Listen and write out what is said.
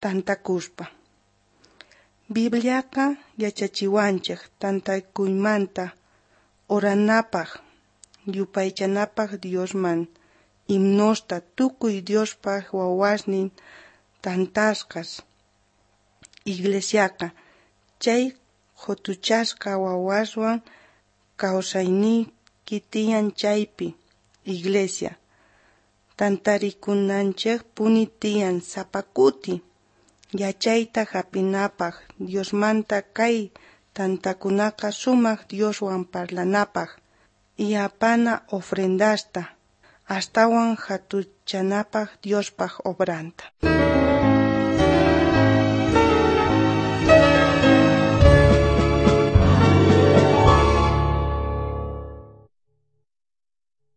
Tantakuspa. Bibliaqa yachachiwanchej tantakuymanta oranapaj, yupaychanapaj Diosman, himnosta, tukuy Diospa wawasnin tantasqas. Iglesiaqa chay qotuchasqa wawaswan kawsayniyki tiyan chaypi. Iglesia tantarikunanchejpuni tiyan sapa kuti yachayta jap'inapaj Diosmanta. Kay tantakunaqa sumaj Dioswan parlanapaj y apana ofrendasta astawan jatunchanapaj Diospa obranta.